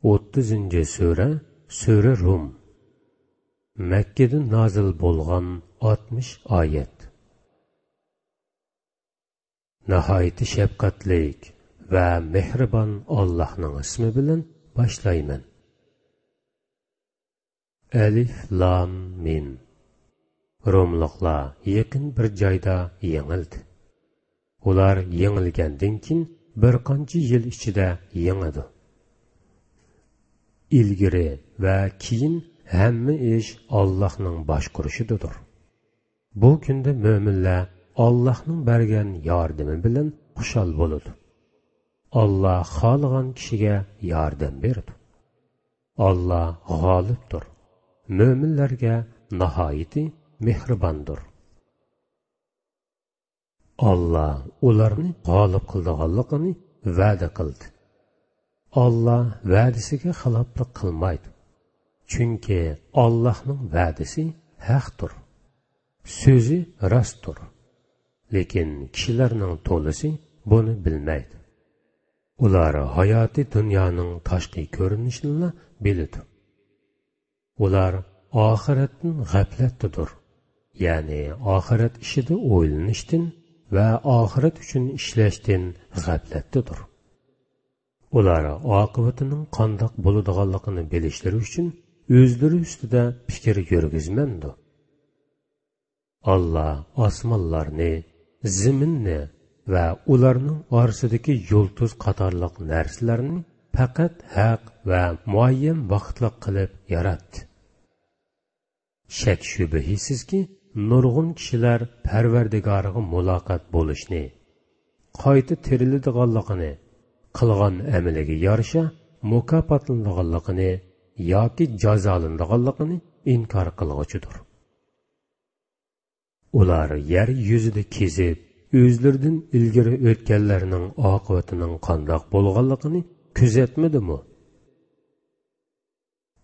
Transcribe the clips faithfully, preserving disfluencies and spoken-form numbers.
ئوتتۇزىنچى سۈرە، سۈرە رۇم. مەككىدە نازىل بولغان ئاتمىش ئايەت. ناھايىتى شەپقەتلىك ۋە مېھرىبان ئاللاھنىڭ ئىسمى بىلەن باشلايمەن. ئەلىف لام مىم. روملۇقلار يېقىن بىر جايدا يېڭىلدى. ئۇلار يېڭىلگەندىن كېيىن بىر قانچە يىل ئىچىدە يېڭىدۇ. ئىلگىرى ۋە كېيىن ھەممە ئىش ئاللاھنىڭ باشقۇرۇشىدىدۇر. بۇ كۈندە مۆمىنلەر ئاللاھنىڭ بەرگەن ياردىمى بىلەن خۇشال بولىدۇ. ئاللاھ خالىغان كىشىگە ياردەم بېرىدۇ. ئاللاھ غالىبتۇر، مۆمىنلەرگە ناھايىتى مېھرىباندۇر. ئاللاھ ئۇلارنى غالىب قىلىدىغانلىقىنى ۋەدە قىلدى. ئاللاھ ۋەدىسىگە خىلاپلىق قىلمايدۇ. چۈنكى ئاللاھنىڭ ۋەدىسى ھەقتۇر. سۆزى راستتۇر. لېكىن كىشىلەرنىڭ تولىسى بۇنى بىلمەيدۇ. ئۇلار ھاياتىي دۇنيانىڭ تاشقى كۆرۈنۈشىنىلا بىلىدۇ. ئۇلار ئاخىرەتتىن غەپلەتتىدۇر. يەنى ئاخىرەت ئىشىدا ئويلىنىشتىن ۋە ئاخىرەت ئۈچۈن ئىشلەشتىن غەپلەتتىدۇر. ئۇلار ئاقىۋىتىنىڭ قانداق بولىدىغانلىقىنى بىلىشلىرى ئۈچۈن ئۆزلىرى ئۈستىدە پىكىر يۈرگۈزمەمدۇ؟ ئاللاھ ئاسمانلارنى، زېمىننى ۋە ئۇلارنىڭ ئارىسىدىكى يۇلتۇز قاتارلىق نەرسىلەرنى پەقەت ھەق ۋە مۇئەييەن ۋاقىتلىق قىلىپ ياراتتى. شەك-شۈبھىسىزكى، نۇرغۇن كىشىلەر پەرۋەردىگارىغا مۇلاقات بولۇشنى، قايتا تىرىلىدىغانلىقىنى، قىلغان ئەمىلىگە يارىشا مۇكاپاتلىنىدىغانلىقىنى ياكى جازالىنىدىغانلىقىنى ئىنكار قىلغۇچىدۇر. ئۇلار يەر يۈزىدە كېزىپ، ئۆزلىرىدىن ئىلگىرى ئۆتكەنلەرنىڭ ئاقىۋىتىنىڭ قانداق بولغانلىقىنى كۆزەتمىدىمۇ؟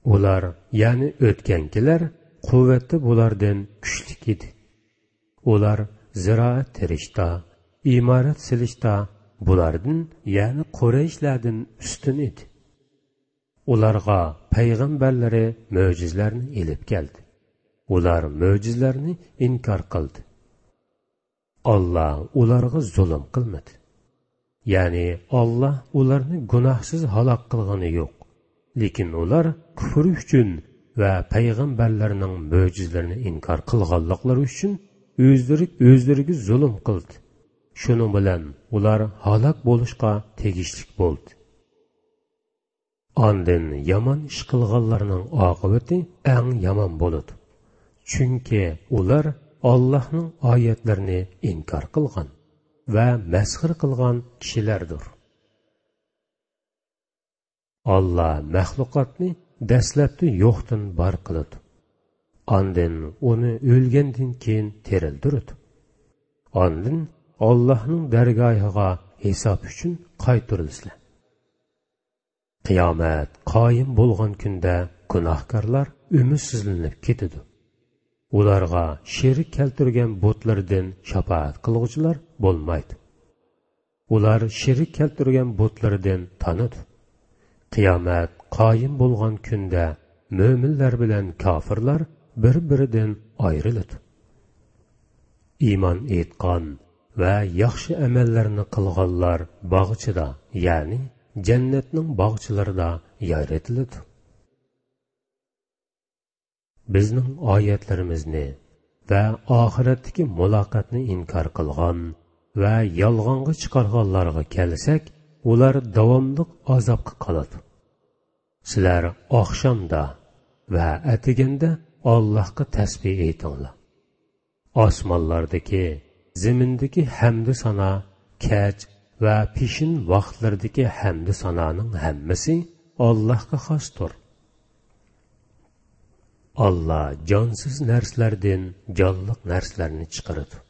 ئۇلار، يەنى ئۆتكەنكىلەر، قۇۋۋەتتە بۇلاردىن كۈچلۈك ئىدى. ئۇلار زىرائەت تېرىشتا، ئىمارەت سېلىشتا بۇلاردىن، يەنى قۇرەيشلەردىن ئۈستۈن ئىدى. ئۇلارغا پەيغەمبەرلىرى مۆجىزىلەرنى ئېلىپ كەلدى. ئۇلار مۆجىزىلەرنى ئىنكار قىلدى. ئاللاھ ئۇلارغا زۇلۇم قىلمىدى. يەنى ئاللاھ ئۇلارنى گۇناھسىز ھالاك قىلغىنى يوق. لېكىن ئۇلار كۇفرى ئۈچۈن ۋە پەيغەمبەرلەرنىڭ مۆجىزىلىرىنى ئىنكار قىلغانلىقلىرى ئۈچۈن ئۆزلىرى ئۆزلىرىگە زۇلۇم قىلدى. شۇنىڭ بىلەن ئۇلار ھالاك بولۇشقا تېگىشلىك بولدى. ئاندىن يامان ئىش قىلغانلارنىڭ ئاقىۋىتى ئەڭ يامان بولىدۇ. چۈنكى ئۇلار ئاللاھنىڭ ئايەتلىرىنى ئىنكار قىلغان ۋە مەسخىرە قىلغان كىشىلەردۇر. ئاللاھ مەخلۇقاتنى دەسلەپتە يوقتىن بار قىلىدۇ. ئاندىن ئۇنى ئۆلگەندىن كېيىن تىرىلدۈرىدۇ. ئاندىن ئاللاھنىڭ دەرگاھىغا ھېساب ئۈچۈن قايتۇرۇلىسىلەر. قىيامەت قايىم بولغان كۈندە گۇناھكارلار ئۈمىدسىزلىنىپ كېتىدۇ. ئۇلارغا شېرىك كەلتۈرگەن بۇتلىرىدىن شاپائەت قىلغۇچىلار بولمايدۇ. ئۇلار شېرىك كەلتۈرگەن بۇتلىرىدىن تانىدۇ. قىيامەت قايىم بولغان كۈندە مۆمىنلەر بىلەن كاپىرلار بىر-بىرىدىن ئايرىلىدۇ. ئىمان ئېيتقان ۋە ياخشى ئەمەللەرنى قىلغانلار باغچىدا، يەنى جەننەتنىڭ باغچىلىرىدا يايرىتىلىدۇ. بىزنىڭ ئايەتلىرىمىزنى ۋە ئاخىرەتتىكى مۇلاقاتنى ئىنكار قىلغان ۋە يالغانغا چىقارغانلارغا كەلسەك، ئۇلار داۋاملىق ئازابقا قالىدۇ. سىلەر ئاخشامدا ۋە ئەتىگەندە ئاللاھقا تەسبىھ ئېيتىڭلار. ئاسمانلاردىكى، زېمىندىكى ھەمدۇ سانا، كەچ ۋە پېشىن ۋاقىتلىرىدىكى ھەمدۇ سانانىڭ ھەممىسى ئاللاھقا خاستۇر. ئاللاھ جانسىز نەرسىلەردىن جانلىق نەرسىلەرنى چىقىرىدۇ.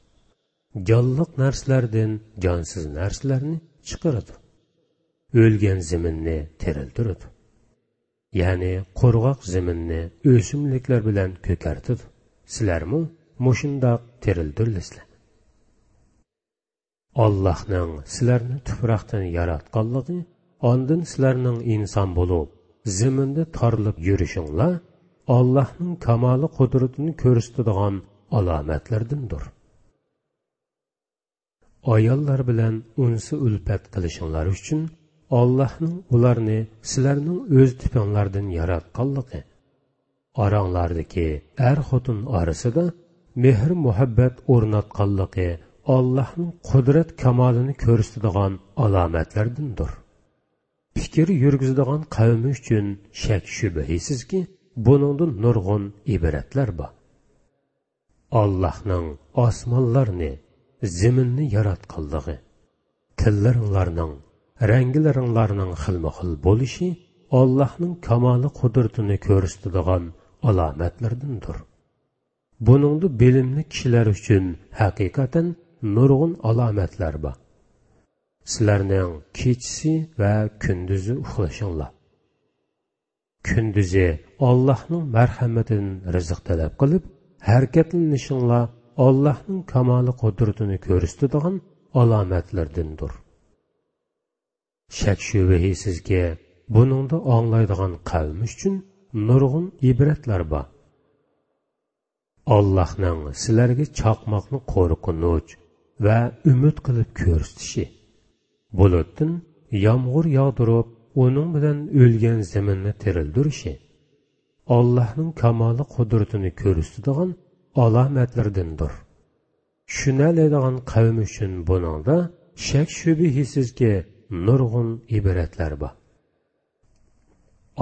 جانلىق نەرسىلەردىن جانسىز نەرسىلەرنى چىقىرىدۇ. ئۆلگەن زېمىننى تىرىلدۈرىدۇ. يەنى قۇرغاق زېمىننى ئۆسۈملۈكلەر بىلەن كۆكەرتىدۇ. سىلەرمۇ مۇشۇنداق تىرىلدۈرۈلىسىلەر. ئاللاھنىڭ سىلەرنى تۇپراقتىن ياراتقانلىقى، ئاندىن سىلەرنىڭ ئىنسان بولۇپ، زېمىندا تارىلىپ يۈرۈشۈڭلار ئاللاھنىڭ كامالى قۇدرىتىنى كۆرسىتىدىغان ئالامەتلەردىندۇر. ئاياللار بىلەن ئۇنسى ئۈلپەت قىلىشىڭلار ئۈچۈن ئاللاھنىڭ ئۇلارنى سىلەرنىڭ ئۆز تىپىڭلاردىن ياراتقانلىقى، ئاراڭلاردىكى ئەر-خوتۇن ئارىسىدا مېھىر-مۇھەببەت ئورناتقانلىقى ئاللاھنىڭ قۇدرەت كامالىنى كۆرسىتىدىغان ئالامەتلەردىندۇر. پىكىر يۈرگۈزىدىغان قەۋمى ئۈچۈن شەك-شۈبھىسىزكى، بۇنىڭدا نۇرغۇن ئىبرەتلەر بار. ئاللاھنىڭ ئاسمانلارنى، زېمىننى ياراتقانلىقى، تىللىرىڭلارنىڭ، رەڭگىلىرىڭلارنىڭ خىلمۇخىل بولۇشى ئاللاھنىڭ كامالى قۇدرىتىنى كۆرسىتىدىغان ئالامەتلەردىندۇر. بۇنىڭدا بىلىملىك كىشىلەر ئۈچۈن ھەقىقەتەن نۇرغۇن ئالامەتلەر بار. سىلەرنىڭ كېچىسى ۋە كۈندۈزى ئۇخلىشىڭلار. كۈندۈزى ئاللاھنىڭ مەرھەمىتىدىن رىزىق تەلەپ قىلىپ، ھەرىكەتلىنىشىڭلار ئاللاھنىڭ كامالى قۇدرىتىنى كۆرسىتىدىغان ئالامەتلەردىندۇر. شەك-شۈبھىسىزكى، بۇنىڭدا ئاڭلايدىغان قەۋم ئۈچۈن نۇرغۇن ئىبرەتلەر بار. ئاللاھنىڭ سىلەرگە چاقماقنى قورقۇنچ ۋە ئۈمىد قىلىپ كۆرسىتىشى، بۇلۇتتىن يامغۇر ياغدۇرۇپ، ئۇنىڭ بىلەن ئۆلگەن زېمىننى تىرىلدۈرۈشى، ئاللاھنىڭ كامالى قۇدرىتىنى كۆرسىتىدىغان ئالامەتلىرىدىندۇر. چۈشىنەلەيدىغان قەۋم ئۈچۈن بۇنىڭدا شەك-شۈبھىسىزكى نۇرغۇن ئىبرەتلەر بار.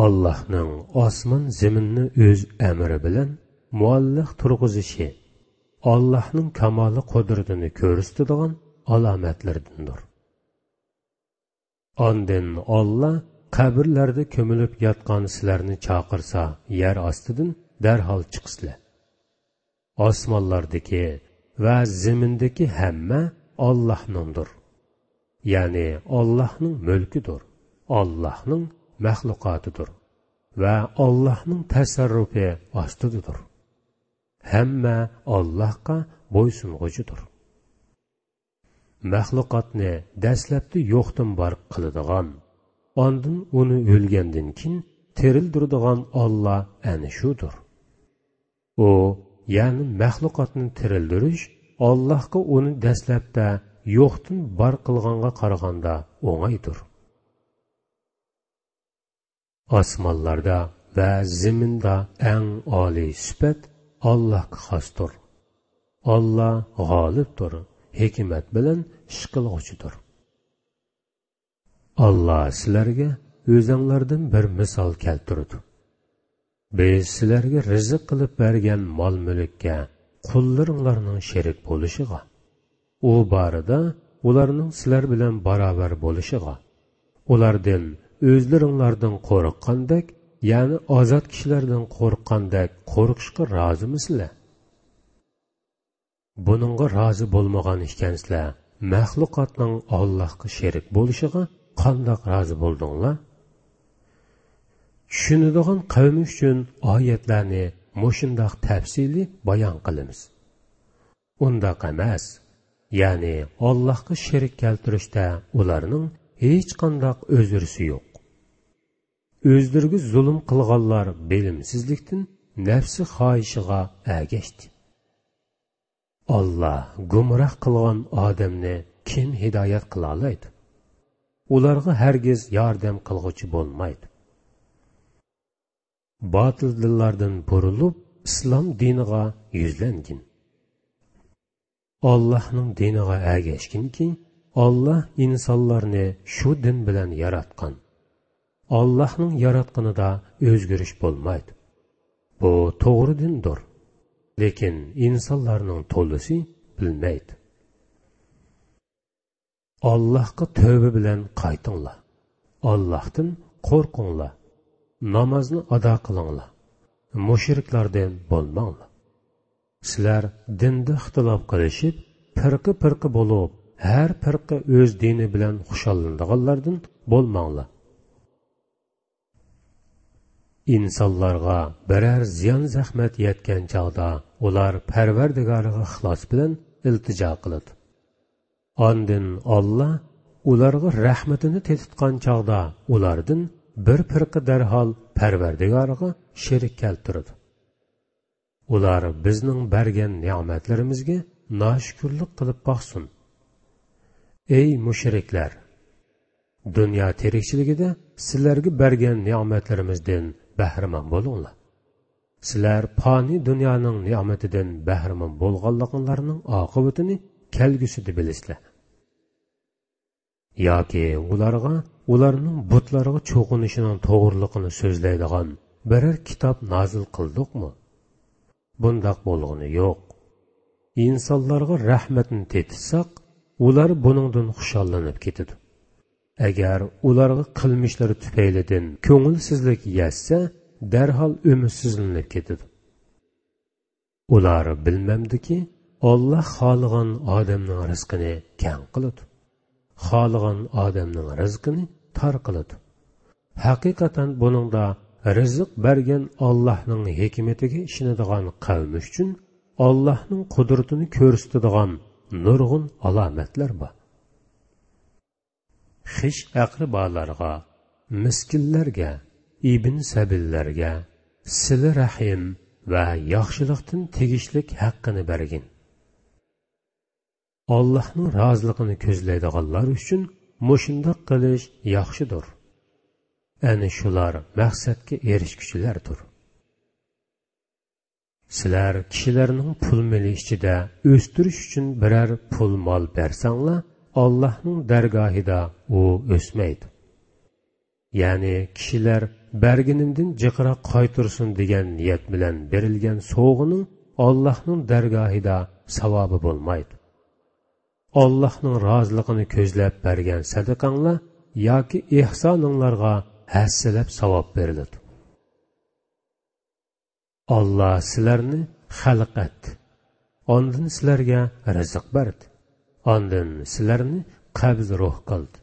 ئاللاھنىڭ ئاسمان زېمىننى ئۆز ئەمرى بىلەن مۇئەللەق تۇرغۇزۇشى ئاللاھنىڭ كامالى قۇدرىتىنى كۆرسىتىدىغان ئالامەتلىرىدىندۇر. ئاندىن ئاللا قەبرىلەردە كۆمۈلۈپ ياتقان سىلەرنى چاقىرسا، يەر ئاستىدىن دەرھال چىقىسىلەر. ئاسمانلاردىكى ۋە زېمىندىكى ھەممە ئاللاھنىڭدۇر. يەنى ئاللاھنىڭ مۈلكىدۇر، ئاللاھنىڭ مەخلۇقاتىدۇر ۋە ئاللاھنىڭ تەسەررۇپى ئاستىدىدۇر. ھەممە ئاللاھقا بويسۇنغۇچىدۇر. مەخلۇقاتنى دەسلەپتە يوقتىن بار قىلىدىغان، ئاندىن ئۇنى ئۆلگەندىن كېيىن تىرىلدۈرىدىغان ئاللا ئەنە شۇدۇر. ئۇ، يەنى مەخلۇقاتنى تىرىلدۈرۈش ئاللاھقا ئۇنى دەسلەپتە يوقتىن بار قىلغانغا قارىغاندا ئوڭايدۇر. ئاسمانلاردا ۋە زېمىندا ئەڭ ئالىي سۈپەت ئاللاھقا خاستۇر. ئاللا غالىبتۇر، ھېكمەت بىلەن ئىش قىلغۇچىدۇر. ئاللا سىلەرگە ئۆزۈڭلاردىن بىر مىسال كەلتۈرىدۇ. بىز سىلەرگە رىزىق قىلىپ بەرگەن مال-مۈلۈككە قۇللىرىڭلارنىڭ شېرىك بولۇشىغا، ئۇ بارىدا ئۇلارنىڭ سىلەر بىلەن باراۋەر بولۇشىغا، ئۇلاردىن ئۆزلىرىڭلاردىن قورققاندەك، يەنى ئازاد كىشىلەردىن قورققاندەك قورقۇشقا رازىمۇسىلەر؟ بۇنىڭغا رازى بولمىغان ئىكەنسىلەر، مەخلۇقاتنىڭ ئاللاھقا شېرىك بولۇشىغا قانداق رازى بولدۇڭلار؟ چۈشىنىدىغان قەۋم ئۈچۈن ئايەتلەرنى مۇشۇنداق تەپسىلىي بايان قىلىمىز. ئۇنداق ئەمەس، يەنى ئاللاھقا شېرىك كەلتۈرۈشتە ئۇلارنىڭ ھېچقانداق ئۆزرىسى يوق. ئۆزلىرىگە زۇلۇم قىلغانلار بىلىمسىزلىكتىن نەپسى خاھىشىغا ئەگەشتى. ئاللا گۇمراھ قىلغان ئادەمنى كىم ھىدايەت قىلالايدۇ؟ ئۇلارغا ھەرگىز ياردەم قىلغۇچى بولمايدۇ. باتىل دىنلاردىن بۇرۇلۇپ، ئىسلام دىنىغا يۈزلەنگىن. ئاللاھنىڭ دىنىغا ئەگەشكىنكى، ئاللا ئىنسانلارنى شۇ دىن بىلەن ياراتقان. ئاللاھنىڭ ياراتقىنىدا ئۆزگىرىش بولمايدۇ. بۇ توغرا دىندۇر. لېكىن ئىنسانلارنىڭ تولىسى بىلمەيدۇ. ئاللاھقا تۆبە بىلەن قايتىڭلار. ئاللاھتىن قورقۇڭلار. نامازنى ئادا قىلىڭلار. مۇشرىكلاردىن بولماڭلار. سىلەر دىندا ئىختىلاپ قىلىشىپ، پىرقە-پىرقە بولۇپ، ھەر پىرقە ئۆز دىنى بىلەن خۇشاللىنىدىغانلاردىن بولماڭلار. ئىنسانلارغا بىرەر زىيان-زەخمەت يەتكەن چاغدا ئۇلار پەرۋەردىگارىغا ئىخلاس بىلەن ئىلتىجا قىلىدۇ. ئاندىن ئاللا ئۇلارغا رەھمىتىنى تېتىتقان چاغدا ئۇلاردىن بىر پىرقە دەرھال پەرۋەردىگارىغا شېرىك كەلتۈرىدۇ. ئۇلار بىزنىڭ بەرگەن نېمەتلىرىمىزگە ناشۈكۈرلۈك قىلىپ باقسۇن. ئەي مۇشرىكلار! دۇنيا تىرىكچىلىكىدە سىلەرگە بەرگەن نېمەتلىرىمىزدىن بەھرىمەن بولۇڭلار. سىلەر پانىي دۇنيانىڭ نېمىتىدىن بەھرىمەن بولغانلىقىڭلارنىڭ ئاقىۋىتىنى كەلگۈسىدە بىلىسىلەر. ياكى ئۇلارغا ئۇلارنىڭ بۇتلارغا چوقۇنۇشىنىڭ توغرىلىقىنى سۆزلەيدىغان بىرەر كىتاب نازىل قىلدۇقمۇ؟ بۇنداق بولغىنى يوق. ئىنسانلارغا رەھمەتنى تېتىتساق، ئۇلار بۇنىڭدىن خۇشاللىنىپ كېتىدۇ. ئەگەر ئۇلارغا قىلمىشلىرى تۈپەيلىدىن كۆڭۈلسىزلىك يەتسە، دەرھال ئۈمىدسىزلىنىپ كېتىدۇ. ئۇلار بىلمەمدىكى، ئاللا خالىغان ئادەمنىڭ رىزقىنى كەڭ قىلىدۇ، خالىغان ئادەمنىڭ رىزقىنى تار قىلىدۇ. ھەقىقەتەن بۇنىڭدا رىزىق بەرگەن ئاللاھنىڭ ھېكمىتىگە ئىشىنىدىغان قەۋم ئۈچۈن ئاللاھنىڭ قۇدرىتىنى كۆرسىتىدىغان نۇرغۇن ئالامەتلەر بار. خىش ئەقرىبالارغا، مىسكىنلەرگە، ئىبن سەبىللەرگە، سىلە رەھىم ۋە ياخشىلىقتىن تېگىشلىك ھەققىنى بەرگىن. ئاللاھنىڭ رازىلىقىنى كۆزلەيدىغانلار ئۈچۈن مۇشۇنداق قىلىش ياخشىدۇر. ئەنە شۇلار مەقسەتكە ئېرىشكۈچىلەردۇر. سىلەر كىشىلەرنىڭ پۇل مېلى ئىچىدە ئۆستۈرۈش ئۈچۈن بىرەر پۇل مال بەرسەڭلار، ئاللاھنىڭ دەرگاھىدا ئۇ ئۆسمەيدۇ. يەنى كىشىلەر بەرگىنىمدىن جىقراق قايتۇرسۇن دېگەن نىيەت بىلەن بېرىلگەن سوۋغىنىڭ ئاللاھنىڭ دەرگاھىدا ساۋابى بولمايدۇ. ئاللاھنىڭ رازىلىقىنى كۆزلەپ بەرگەن سەدىقەڭلار ياكى ئېھسانىڭلارغا ھەسسىلەپ ساۋاب بېرىلىدۇ. ئاللا سىلەرنى خەلق ئەتتى. ئاندىن سىلەرگە رىزىق بەردى. ئاندىن سىلەرنى قەبز روھ قىلدى.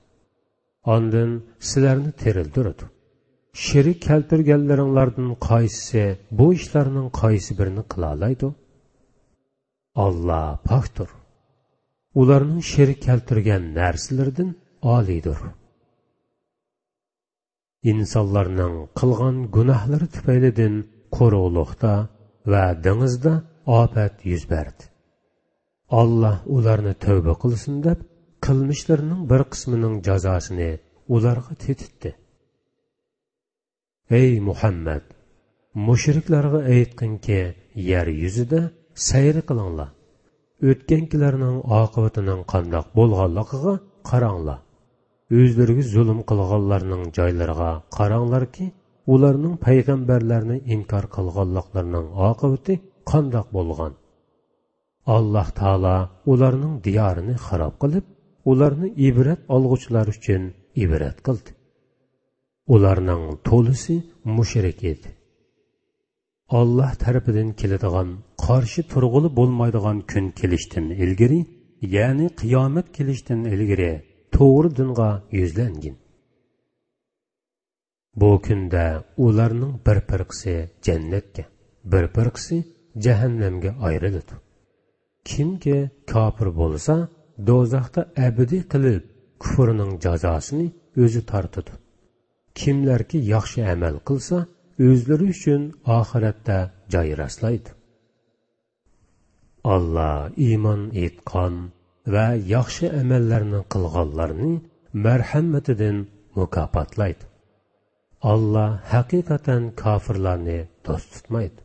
ئاندىن سىلەرنى تىرىلدۈرىدۇ. شېرىك كەلتۈرگەنلىرىڭلاردىن قايسىسى بۇ ئىشلارنىڭ قايسى بىرىنى قىلالايدۇ؟ ئاللا پاكتۇر. ئۇلارنىڭ شېرىك كەلتۈرگەن نەرسىلىرىدىن ئالىيدۇر. ئىنسانلارنىڭ قىلغان گۇناھلىرى تۈپەيلىدىن قۇرۇقلۇقتا ۋە دېڭىزدا ئاپەت يۈز بەردى. ئاللا ئۇلارنى تەۋبە قىلسۇن دەپ، قىلمىشلىرىنىڭ بىر قىسمىنىڭ جازاسىنى ئۇلارغا تېتىتتى. ئەي مۇھەممەد! مۇشرىكلارغا ئېيتقىنكى، يەر يۈزىدە سەير قىلىڭلار. ئۆتكەنكىلەرنىڭ ئاقىۋىتىنىڭ قانداق بولغانلىقىغا قاراڭلار. ئۆزلىرىگە زۇلۇم قىلغانلارنىڭ جايلىرىغا قاراڭلاركى، ئۇلارنىڭ پەيغەمبەرلەرنى ئىنكار قىلغانلىقلىرىنىڭ ئاقىۋىتى قانداق بولغان؟ ئاللا تائالا ئۇلارنىڭ دىيارىنى خاراب قىلىپ، ئۇلارنى ئىبرەت ئالغۇچىلار ئۈچۈن ئىبرەت قىلدى. ئۇلارنىڭ تولىسى مۇشرىك ئىدى. ئاللا تەرىپىدىن كېلىدىغان، قارشى تۇرغىلى بولمايدىغان كۈن كېلىشتىن ئىلگىرى، يەنى قىيامەت كېلىشتىن ئىلگىرى توغرا دىنغا يۈزلەنگىن. بۇ كۈندە ئۇلارنىڭ بىر پىرقىسى جەننەتكە، بىر پىرقىسى جەھەننەمگە ئايرىلىدۇ. كىمكى كاپىر بولسا، دوزاختا ئەبەدىي قېلىپ، كۇفرىنىڭ جازاسىنى ئۆزى تارتىدۇ. كىملەركى ياخشى ئەمەل قىلسا، ئۆزلىرى ئۈچۈن ئاخىرەتتە جاي راسلايدۇ. ئاللا ئىمان ئېيتقان ۋە ياخشى ئەمەللەرنى قىلغانلارنى مەرھەمىتىدىن مۇكاپاتلايدۇ. ئاللا ھەقىقەتەن كاپىرلارنى دوست تۇتمايدۇ.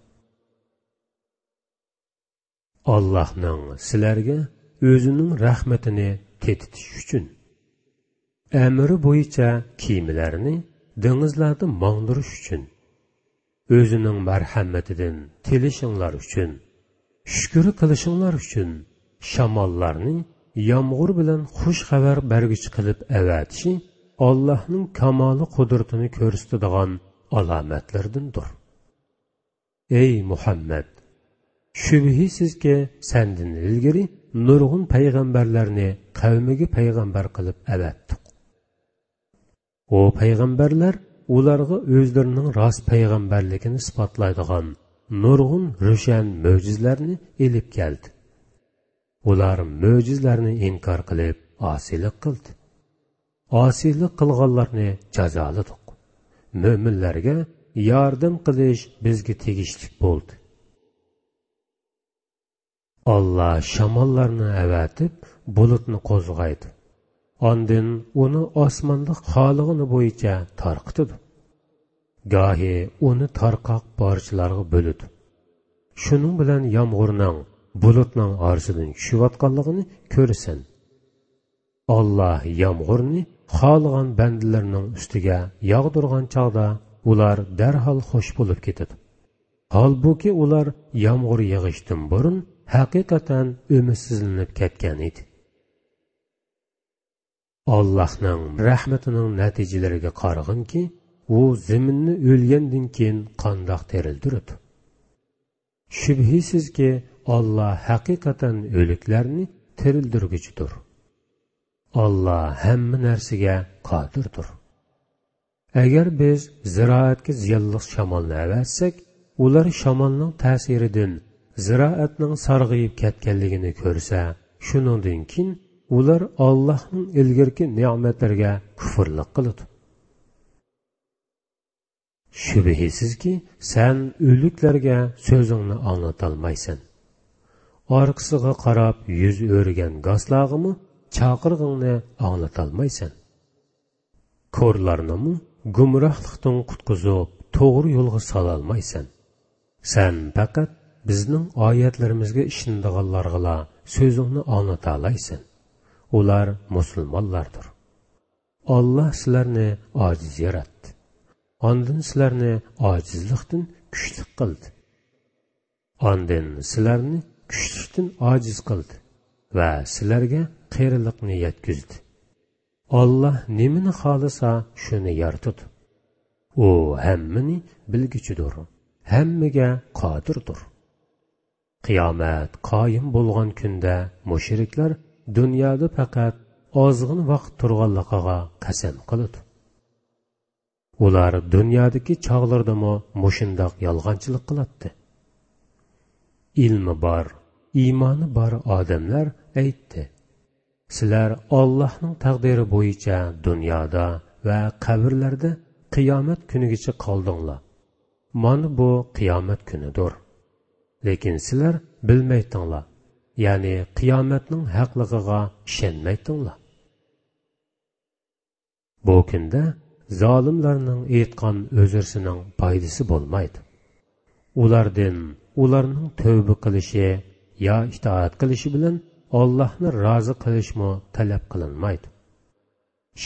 ئاللاھنىڭ سىلەرگە ئۆزىنىڭ رەھمىتىنى تېتىتىش ئۈچۈن، ئەمرى بويىچە كېمىلەرنى دېڭىزلاردا ماڭدۇرۇش ئۈچۈن، ئۆزىنىڭ مەرھەمىتىدىن تىلىشىڭلار ئۈچۈن، شۈكۈر قىلىشىڭلار ئۈچۈن، شاماللارنى يامغۇر بىلەن خۇش خەۋەر بەرگۈچى قىلىپ ئەۋەتىشى ئاللاھنىڭ كامالى قۇدرىتىنى كۆرسىتىدىغان ئالامەتلىرىدىندۇر. ئەي مۇھەممەد! شۈبھىسىزكى، سەندىن ئىلگىرى نۇرغۇن پەيغەمبەرلەرنى قەۋمىگە پەيغەمبەر قىلىپ ئەۋەتتۇق. ئۇ پەيغەمبەرلەر ئۇلارغا ئۆزلىرىنىڭ راست پەيغەمبەرلىكىنى ئىسپاتلايدىغان نۇرغۇن روشەن مۆجىزىلەرنى ئېلىپ كەلدى. ئۇلار مۆجىزىلەرنى ئىنكار قىلىپ، ئاسىيلىق قىلدى. ئاسىيلىق قىلغانلارنى جازالىدۇق. مۆمىنلەرگە ياردەم قىلىش بىزگە تېگىشلىك بولدى. ئاللا شاماللارنى ئەۋەتىپ، بۇلۇتنى قوزغايدۇ. ئاندىن ئۇنى ئاسماندا خالىغىنى بويىچە تارقىتىدۇ. گاھى ئۇنى تارقاق پارچىلارغا بۆلىدۇ. شۇنىڭ بىلەن يامغۇرنىڭ بۇلۇتنىڭ ئارىسىدىن چۈشۈۋاتقانلىقىنى كۆرىسەن. ئاللا يامغۇرنى خالىغان بەندىلىرىنىڭ ئۈستىگە ياغدۇرغان چاغدا، ئۇلار دەرھال خوش بولۇپ كېتىدۇ. ھالبۇكى، ئۇلار يامغۇر يېغىشتىن بۇرۇن ھەقىقەتەن ئۈمىدسىزلىنىپ كەتكەن ئىدى. ئاللاھنىڭ رەھمىتىنىڭ نەتىجىلىرىگە قارىغىنكى، ئۇ زېمىننى ئۆلگەندىن كېيىن قانداق تىرىلدۈرىدۇ. شۈبھىسىزكى، ئاللا ھەقىقەتەن ئۆلۈكلەرنى تىرىلدۈرگۈچىدۇر. ئاللا ھەممە نەرسىگە قادىردۇر. ئەگەر بىز زىرائەتكە زىيانلىق شامالنى ئەۋەتسەك، ئۇلار شامالنىڭ تەسىرىدىن زىرائەتنىڭ سارغىيىپ كەتكەنلىكىنى كۆرسە، شۇنىڭدىن كېيىن ئۇلار ئاللاھنىڭ ئىلگىرىكى نېمەتلىرىگە كۇفرلۇق قىلىدۇ. شۈبھىسىزكى، سەن ئۆلۈكلەرگە سۆزۈڭنى ئاڭلىتالمايسەن. ئارقىسىغا قاراپ يۈز ئۆرۈگەن گاسلارغىمۇ چاقىرىقىڭنى ئاڭلىتالمايسەن. كورلارنىمۇ گۇمراھلىقتىن قۇتقۇزۇپ، توغرا يولغا سالالمايسەن. سەن پەقەت بىزنىڭ ئايەتلىرىمىزگە ئىشىنىدىغانلارغىلا سۆزۈڭنى ئاڭلىتالايسەن. ئۇلار مۇسۇلمانلاردۇر. ئاللا سىلەرنى ئاجىز ياراتتى. ئاندىن سىلەرنى ئاجىزلىقتىن كۈچلۈك قىلدى. ئاندىن سىلەرنى كۈچلۈكتىن ئاجىز قىلدى ۋە سىلەرگە قېرىلىقنى يەتكۈزدى. ئاللا نېمىنى خالىسا، شۇنى يارىتىدۇ. ئۇ ھەممىنى بىلگۈچىدۇر، ھەممىگە قادىردۇر. قىيامەت قايىم بولغان كۈندە مۇشرىكلار دۇنيادا پەقەت ئازغىنە ۋاقىت تۇرغانلىقىغا قەسەم قىلىدۇ. ئۇلار دۇنيادىكى چاغلىرىدىمۇ مۇشۇنداق يالغانچىلىق قىلاتتى. ئىلمى بار، ئىمانى بار ئادەملەر ئېيتتى: سىلەر ئاللاھنىڭ تەقدىرى بويىچە دۇنيادا ۋە قەبرىلەردە قىيامەت كۈنىگىچە قالدىڭلار. مانا بۇ قىيامەت كۈنىدۇر. لېكىن سىلەر بىلمەيتتىڭلار، يەنى قىيامەتنىڭ ھەقلىقىغا ئىشەنمەيتتىڭلار. بۇ كۈندە زالىملارنىڭ ئېيتقان ئۆزرىسىنىڭ پايدىسى بولمايدۇ. ئۇلاردىن ئۇلارنىڭ تەۋبە قىلىشى يا ئىتائەت قىلىشى بىلەن ئاللاھنى رازى قىلىشمۇ تەلەپ قىلىنمايدۇ.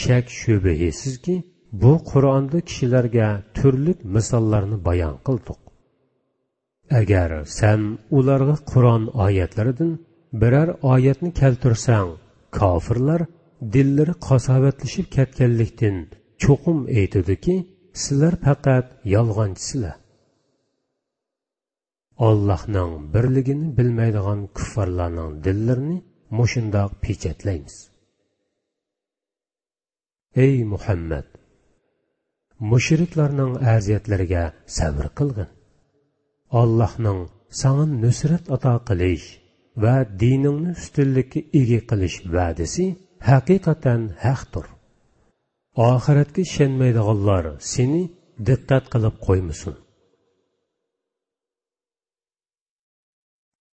شەك-شۈبھىسىزكى، بۇ قۇرئاندا كىشىلەرگە تۈرلۈك مىساللارنى بايان قىلدۇق. ئەگەر سەن ئۇلارغا قۇرئان ئايەتلىرىدىن بىرەر ئايەتنى كەلتۈرسەڭ، كاپىرلار دىللىرى قاساۋەتلىشىپ كەتكەنلىكتىن چوقۇم ئېيتىدۇكى، سىلەر پەقەت يالغانچىسىلەر. ئاللاھنىڭ بىرلىكىنى بىلمەيدىغان كۇففارلارنىڭ دىللىرىنى مۇشۇنداق پېچەتلەيمىز. ئەي مۇھەممەد! مۇشرىكلارنىڭ ئەزىيەتلىرىگە سەۋر قىلغىن. ئاللاھنىڭ ساڭا نۇسرەت ئاتا قىلىش ۋە دىنىڭنى ئۈستۈنلۈككە ئىگە قىلىش ۋەدىسى ھەقىقەتەن ھەقتۇر. ئاخىرەتكە ئىشەنمەيدىغانلار سېنى دىققەت قىلىپ قويمىسۇن.